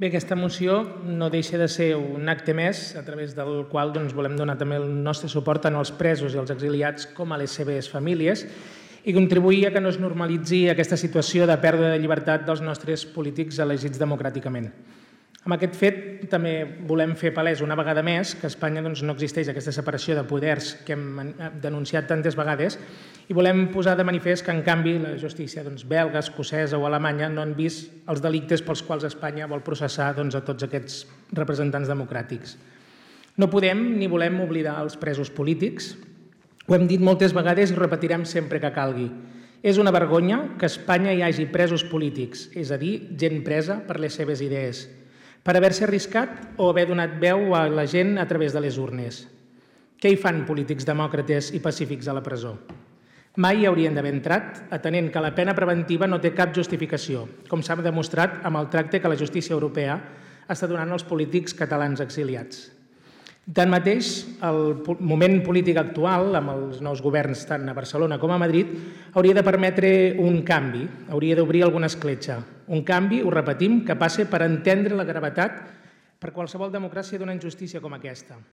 Bé, aquesta moció no deixa de ser un acte més a través del qual volem donar també el nostre suport tant als presos i als exiliats com a les seves famílies i contribuir a que no es normalitzi aquesta situació de pèrdua de llibertat dels nostres polítics elegits democràticament. Amb aquest fet també volem fer palès una vegada més que a Espanya no existeix aquesta separació de poders que hem denunciat tantes vegades i volem posar de manifest que, en canvi, la justícia belga, escocesa o alemanya no han vist els delictes pels quals Espanya vol processar a tots aquests representants democràtics. No podem ni volem oblidar els presos polítics. Ho hem dit moltes vegades i ho repetirem sempre que calgui. És una vergonya que a Espanya hi hagi presos polítics, és a dir, gent presa per les seves idees, per haver-se arriscat o haver donat veu a la gent a través de les urnes. Què hi fan polítics demòcrates i pacífics a la presó? Mai hi haurien d'haver entrat, atenent que la pena preventiva no té cap justificació, com s'ha demostrat amb el tracte que la justícia europea està donant als polítics catalans exiliats. Tanmateix, el moment polític actual, amb els nous governs tant a Barcelona com a Madrid, hauria de permetre un canvi, hauria d'obrir alguna escletxa. Un canvi, ho repetim, que passe per entendre la gravetat per qualsevol democràcia d'una injustícia com aquesta.